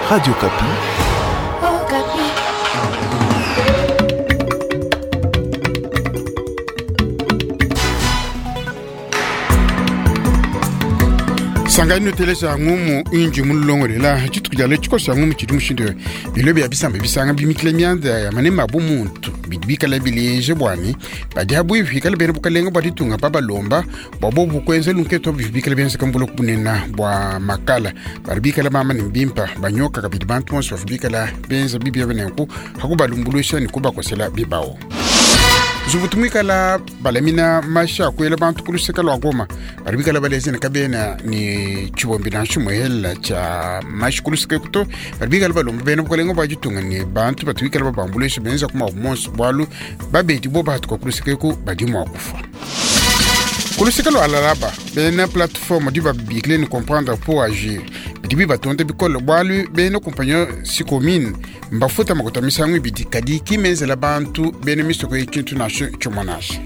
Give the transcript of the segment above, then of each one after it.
Radio Okapi. Okapi. Sangani nuteleja ngumu inji mulongolela dituku dia lelu tshikoso ya ngumu tshidi mushindu bilo bia bisamba bisanga bimikile mianda ya manema bu muntu bidi bikala bileje bwani badi abuivi ikala bena bukalenga bua ditunga babalomba bua bobu kuenza lunketo bivi bikala bienzeka mbuloko bunena bua makala badi bikala bamba ne mbimpa banyoka kabidi bantu bonso bavua bikala benza bibi aba nenku hakubalumbuluisha ne kubakosela bibawu. Nzubu tumwikala balamina mashi akuela bantu ku luseke lua Goma badi bikala baleze ne kabena ne tshibombi nansha muhela tshia mashi ku luseke kuto badi bikala balomba bena bukalenga bua ditunga ne bantu batu bikala babambuluisha benza ku mabu monso bualu babedi bo bahatuka ku luseke ku badi mua kufua. Ku luseke lua Lalaba bena plateforme di babikile ne comprendre pour agir bidi bibatonda bikole bualu bena kumpanyo Sicomines mbafuta makuta misangu ibidi kadi ki menzela bantu bena misoko eyi tshintu nansha tshimue nansha.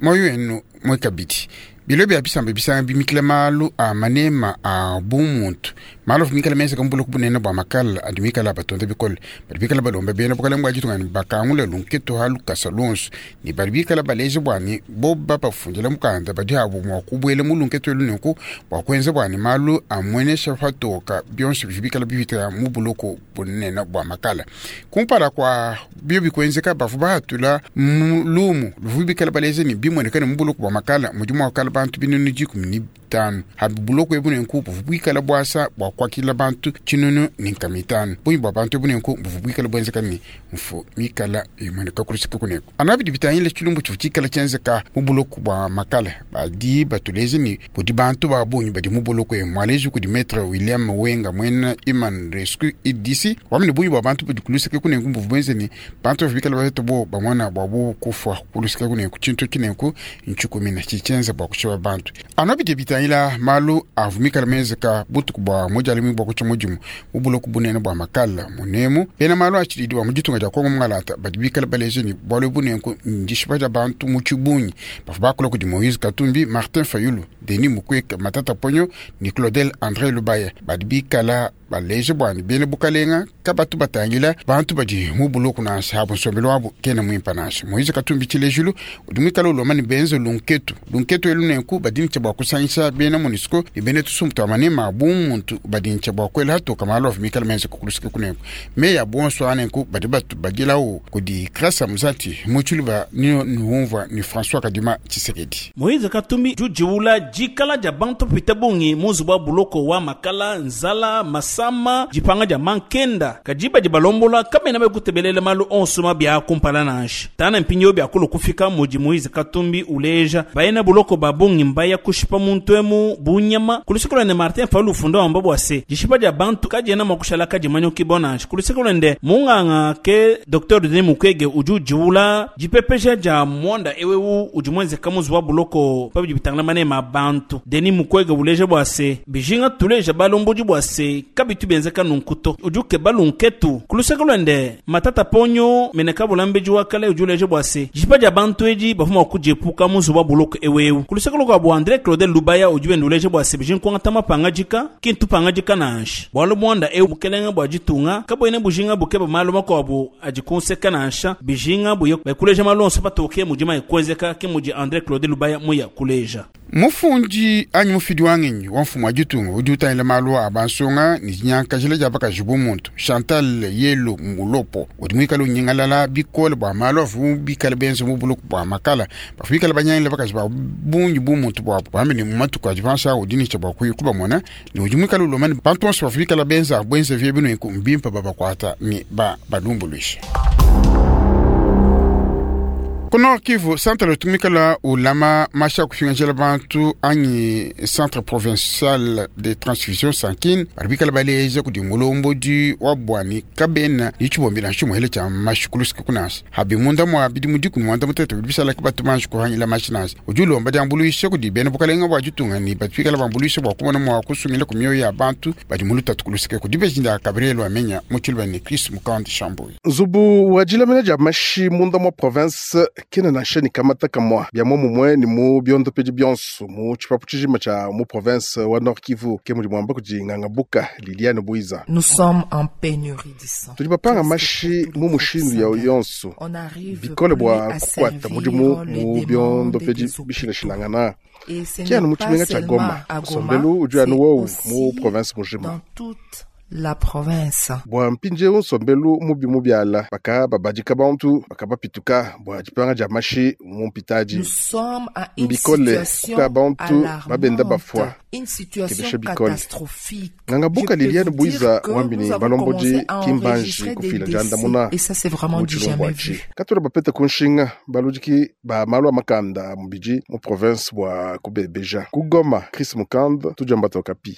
Muoyo wenu mue kabidi bilo bia bisamba bisanga bimikila malu a manema a bumuntu malu avua mikala menzeka mu buloko bunene bua makala adi mikala abatonda bikole badi bikala balomba bena bukalenge bua ditunga ne bakangula lunketu ha lukasa luonso ne badi bikala baleja bua ne bobu babafundila mukanda badi abu mua kubuela mu lunketu elu nenku bua kuenza bua ne malu amuenesha patoka bionso bidi bikala bipita mu buloko bunene bua makala. Kumpala kua biobi kuenzeka, bavua bahatula mu lumu luvua bikala baleja ne bimueneka ne mu buloko bua makala mudi mua kukala bantu 150. Habi buloko ebu nenku buvua buikala buasa bua kuakidila bantu 1050. Bungi bua bantu ebu nenku buvua buikala buenzeka ne mfu mikala imueneka ku luseke kuneku. Anu bidi bitangila tshilumbu tshivua tshikala tshienzeka mu buloko bua makala, badi batuleja ne kudi bantu ba bungi badi mu buloko emu. Mualeji kudi Maitre William Wenga muena Human Rescue IDC wamba ne bungi bua bantu badi ku luseke kunenku buvua buenze ne bantu bavua bikala bapeta bo bamona bua bobu kufua ku luseke kunenku. Tshintu tshinenku ntshikumina tshidi tshienza bua kushipa bantu. Anu bidi bitangila malu avua mikala menzeka butuku bua mudialumi bua kutshia mudimu mu buloko bunene bua makala munemu, bena malu a tshididi ba mu ditunga dia Kongo mungalata badi bikala baleja ne bualu ebu nenku ndishipa dia bantu mu tshibungi. Bavua bakula kudi Moïse Katumbi, Martin Fayulu, Denis Mukwege, Matata Ponyo ne Claudel Andre Lubaya badi bikala baleja bua ne bena bukalenga kabatu batangila bantu badi mu buloko nansha abu nsombelu wabu kena muimpa nansha. Moïse Katumbi tshilejilu udi muikale ulomba ne benze lunketu lunketu elu nenku badi ne tshia bua kusangisha bena MONUSCO ne bena tusumbu tua manema a bumuntu badi ne tshia bua kuela hatoka malu avua mikale menze kukulusika kunenku meyi a bonso a nenku badi batubadilawu kudi Grâce Muzati mu tshiluba ni nuumvua ni François Kadima Tshisekedi. Moïse Katumbi udi ujiwula dikala dia bantu bapite bungi mu nzubu wa buloko wa makala, nzala, masama, dipanga dia mankenda. Kadi badi balombola kabena bakutebelela malu onso mabi aa kumpala nansha. Tana mpindieu biakulu kufika mudi Moïse Katumbi uleja, bena buloko ba bungi mbaya kushipa muntu emu bu nyama. Ku luseke luende Martin Fayulu ufunda wamba bua se, dishipa dia bantu kadiena mua kushala kadimanyukibua nansha. Ku luseke luende munganga ke Docteur Denis Mukwege udi ujiwula dipepeja dia muanda eu eu udi muenzeka mu nzubu wa buloko pa bidi bitangila maneme a bantu. Denis Mukwege uleja bua se, bijinga tuleja balombodi bua se kabitu bienzeka nunku to. Udi ukeba lunketu. Ku luseke luende, Matata Ponyo mene kabulambedi wa kale udi uleja bua se, dishipa dia bantu edi bavua mua kudiepuka mu nzubu wa buloko eu eu. Ku luseke lukuabu, Andre Claudel Lubaya udi wenda uleja bua se, bijinga kuangata mapangadika ki ntupangadika nansha, bualu muanda eu bukelenge bua ditunga kabuena bujinga bukeba malu makuabu adi ku nseka nansha, bijinga buye kuleja malu onso patoke mudi mayi kuenzeka, ke mudi Andre Claudel Lubaya muya kuleja. Mufundi anyi mufidi wa ngenyi wa mfumu wa ditunga udi utangila malu a bansonga ne dinyankajila dia bakaji bu muntu, Chantal Yelu Mulopo, udi muikale unyingalala bikole bua malu avua bikale benze mu buloko bua makala bavua bikale banyangila bakaji ba bungi bu muntu buabu, wambe ne mu matuku adi panshi aa udi ne tshia bua kuya kubamona ne udi muikale ulomba ne bantu bonso bavua bikale benza buenzevi ebu nenku mbimpe babakuata ne babalumbuluishe. Ku Nord Kivu, centre utu muikala ulama mashi a kupingajila bantu anyi centre provincial de transfusion sanguine badi bikala baleja kudi mulombodi wa buani kabena ne tshibombi nansha tshimuhele tshia mashi ku luseke kunansha habi munda mua bidimu 18 bidi bishala ke batu manji kuhangila mashi nansha. Udi ulomba diambuluisha kudi bena bukalenga bua ditunga ne badi bikala bambuluisha bua kumona mua kusungila ku mioyo ya bantu badi mu lutatu ku luseke ku dibeji dia Gabriel Wamenya mu tshiluba ne Chris Mukandi Shambuyi. Nzubu wa dilamina dia mashi munda mua province kena nansha ne kamata kamua bia muomumue ne mu biondopedi bionso mu tshipapu tshijima tshia mu province wa Nord Kivu, ke mudi muamba kudi nganga buka Liliane Buiza. Nous sommes en pénurie de sang. Tudi bapanga mashi mu mushindu ya yonso On n'arrive bikole plus bua à kukuata servir mudimu les mu demandes biondopedi des hôpitaux. bishilashilangana. Et ce Ki anu n'est mu pas tshimenga tshia seulement Goma, à Goma, nsombelu udi anu c'est wowu mu aussi province mujima. dans toute la province. Bua mpindieu nsombelu mubi mubiala baka babadika bantu baka bapituka bua dipanga dia mashi mu mpitadi. Nous sommes à une Mbikole situation kuka bantu babenda bafua alarmante, une situation kebesha bikole. catastrophique. Nganga Je buka peux Liliane vous Buiza dire que wambi nous ne avons balombodi commencé à kimbanji enregistrer des kufila décès diandamuna et ça c'est vraiment mu du tshilumbu jamais atshi vu. katula bapete ku nshinga baludiki ba malu a makanda a mubidi mu province bua kubebeja ku Goma. Chris Mukand tudiamba Okapi.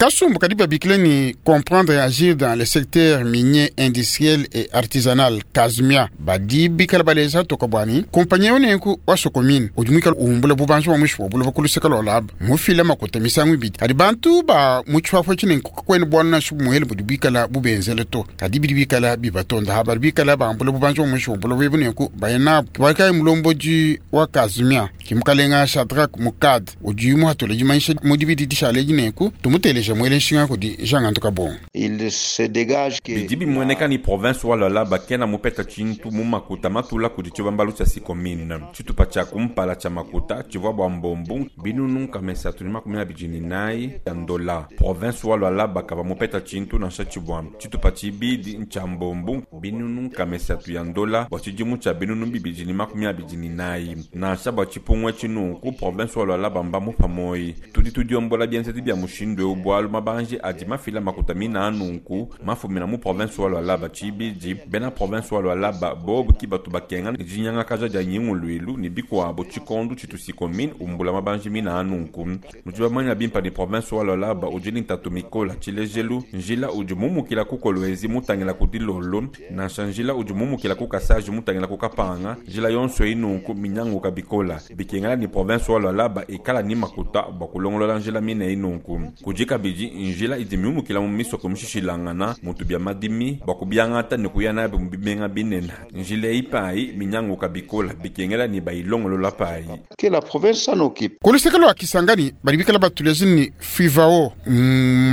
Kasumbu kadi babikile ni comprendre et agir dans le secteur minier, industriel et artisanal Kazmia badi bikala baleza toka bwani kompanya yonenku wa Sokomine udi mwikala uhumbula bubanji bwa mwisho bwa kuluseka lwa laba mufila makuta misangu ibidi kadi bantu ba muchwafo chinenku kakwene bwana nashu bumuhele budi bikala bubenzele to kadi bidi bikala bibatonda ha badi bikala bambula bubanji bwa mwisho bwa buloba ebunenku bayenabu kibalikayi mulombodi wa Kazmia kimukalenga Shadrack Mukad udi muhatula dimanyisha mu dibidi dishale dinenku tumuteleja mwele nshinga kudi Jean Gantuka Bongo. Il se dégage que bidi bimueneka ni province wa Lualaba kena mupeta tshintu mu makuta matula kudi tshibambalu tshia Sicomines. Tshitupa tshia kumpala tshia makuta tshivua bua mbombu binunu nkama isatu ne makumi abidi ne inayi ya ndola. Province wa Lualaba kavua mupeta tshintu nansha tshibua. Tshitupa tshibidi ntshia mbombu binunu nkama isatu ya ndola bua tshidimu tshia binunu bibidi ne makumi abidi ne inayi. Nansha bua tshipungu etshi nunku province wa Lualaba mbamupa moyi. Tudi tudiombola bienzedi bia mushindu eu bualu mabanji adi mafila makuta mina nunku mafumina mu province wa Lualaba tshibidi bena province wa Lualaba bobu ki batu bakenga ne dinyangakaja dia nyinguluilu ne bikuabo tshikondu tshitu Sicomines umbula mabanji mina nunku. Nudi bamanya bimpa ne province wa Lualaba udi ne ntatu mikola tshilejelu njila udi mumukila ku Kolwezi mutangila ku Dilolo nansha njila udi mumukila ku Kasaji mutangila ku Kapanga njila yonso eyi nunku minyanguka bikola bikengela ni province wa Lualaba ikala ni makuta bua kulongolola njila mine eyi nunku. Kudi kabidi njila idi miumukila mu misoko mishishilangana mutu bia madimi bua kubiangata ne kuya nabi mu bimenga binene njila eyi payi minyanguka bikola bikengela ni bayilongolola payi. Que la province s'en occupe. Kuluseka lwa Kisangani badi bikala batuleje ni FIVAO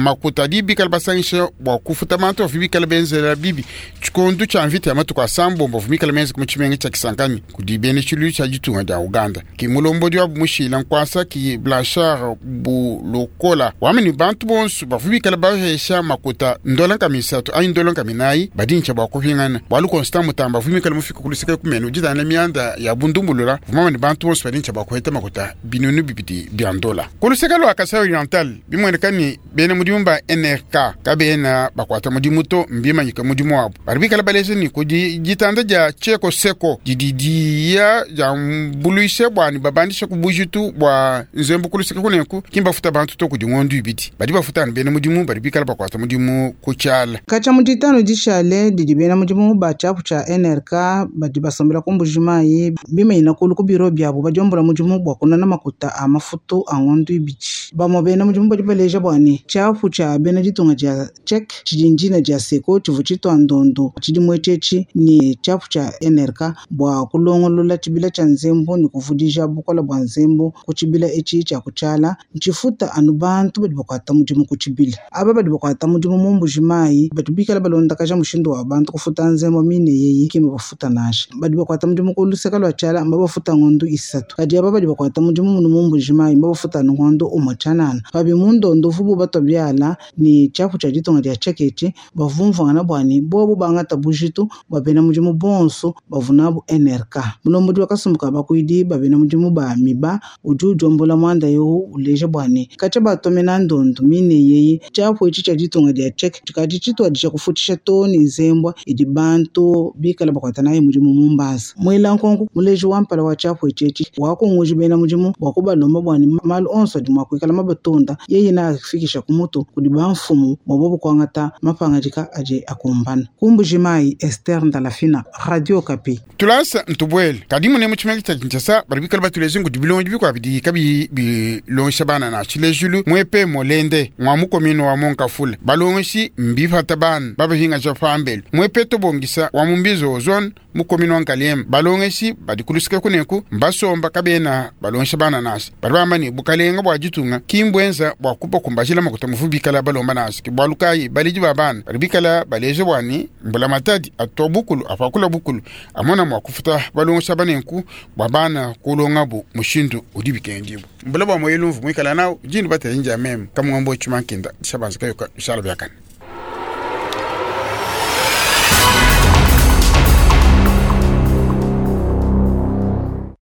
makuta adi bikala basangisha bua kufuta bantu bavua bikala benzela bibi tshikondu tshia mvita ya matuku asambombo bavua bikala benza mu tshimenga tshia Kisangani kudi bena tshiluilu tshia ditunga dia Uganda. Ki mulombodi wabu mushila nkuasa ki Blanchard Bulokola wamene bantu bonso bavua bikala bahesha makuta ndola nkama isatu anyi ndola nkama inayi badi ntshia bua kupingana bualu Constant Mutamba avua mikala mufika kuluseka kumene uditana mianda ya bundumbulula vumamane bantu bonso badi ntshia bua kuheta makuta binunu bibidi bia ndola. Kuluseka lwa Kasai Oriental bimueneka ni bena mudimu ba NRK kabena bakuata mudimu to mbimanyika mudimu wabu badi bikala baleja ni kudi ditanda dia Tcheko Seko didi diya dia mbuluisha bua ni babandisha ku bujitu bua nzembu kuluseka kunenku kimbafuta bantu to kudi ngondu ibidi badi bafuta ni bena mudimu badi bikala bakuata mudimu ku tshiala. Katshia mu ditanu dishale didi bena mudimu ba tshiapu tshia NRK badi basombela ku Mbujimayi bimanyina kulu ku biro biabu badiombela mudimu bua kunana makuta a mafutu a ngondu ibidi. Bamue bena mudimu badi baleja bua ne tshiapu tshia bena ditunga dia Tchèque tshidi ndina dia Seko tshivua tshitua ndondo tshidimu etshi ne tshiapu tshia NRK bua kulongolola tshibila tshia nzembu ne kuvudija bukola bua nzembu ku tshibila etshi tshia kutshiala ntshifuta anu bantu badi bakuata mudimu ku tshibila. Aba badi bakuata mudimu mu Mbujimayi badi bikala balondakaja mushindu wa bantu kufuta nzembu mine yeyi kima bafuta nansha. Badi bakuata mudimu ku luseka lua tshiala mbabafuta ngondu isatu kadi aba badi bakuata mudimu munu mu Mbujimayi mbabafuta anu ngondu umue tshianana. Pabi mu ndondo vubu batua biala ne tshiapu tshia ditunga dia Tchèque etshi bavumvuangana bua ne bobu bangata bujitu bua bena mudimu bonso bavunabu NRK. Mulombodi wa kasumbu ka bakuidi ba bena mudimu ba MIBA udi udiombola muanda eu uleja bua ne katshia batomena ndondo mine yeyi tshiapu etshi tshia ditunga dia Tchèque tshikadi tshituadija kufutisha too ne nzembwa idi bantu bikala bakuata nayi mudimu mu mbanza. Muela nkonko muleji wa mpala wa tshiapu etshi etshi wakunguji bena mudimu bua kubalomba bua ne malu onso adi mua kuikala mabatonda yeye naafikisha ku mutu kudi bamfumu bua bobu kuangata mapangadika adi akumbana. Ku Mbujimayi, Esther Ndalafina, Radio Okapi. Tulasa ntubwele kadi mune mu tshimenga tshia Kinshasa badi bikala batuleje ngudi bilongi bikuabu bidi kabiyi bilongesha bana na tshilejulu mwepe molende. Katende mwa mukomino wa Mont-Ngafula balongeshi mbipata bana babahingaja pambelu mwepeto bongisa wa mumbizo zone mukomino wa Ngaliema balongeshi badi kulusika kuneku mbasomba kabena balongesha bana nasi badi bamba ne bukalenga bua ditunga kimbwenza bua kubakumbajila makuta muvu bikala balomba nasi ke bualu kayi baledi ba bana badi bikala baleja bwani mbula matadi atwa bukulu apakula bukulu amona mua kufuta balongesha banenku bua bana kulongabu mushindu udi bikendibu mbula bua moyo lumvu muikala nawu dinu batainja meme kamwambo chumankenda shabanza kayoka shala byakana.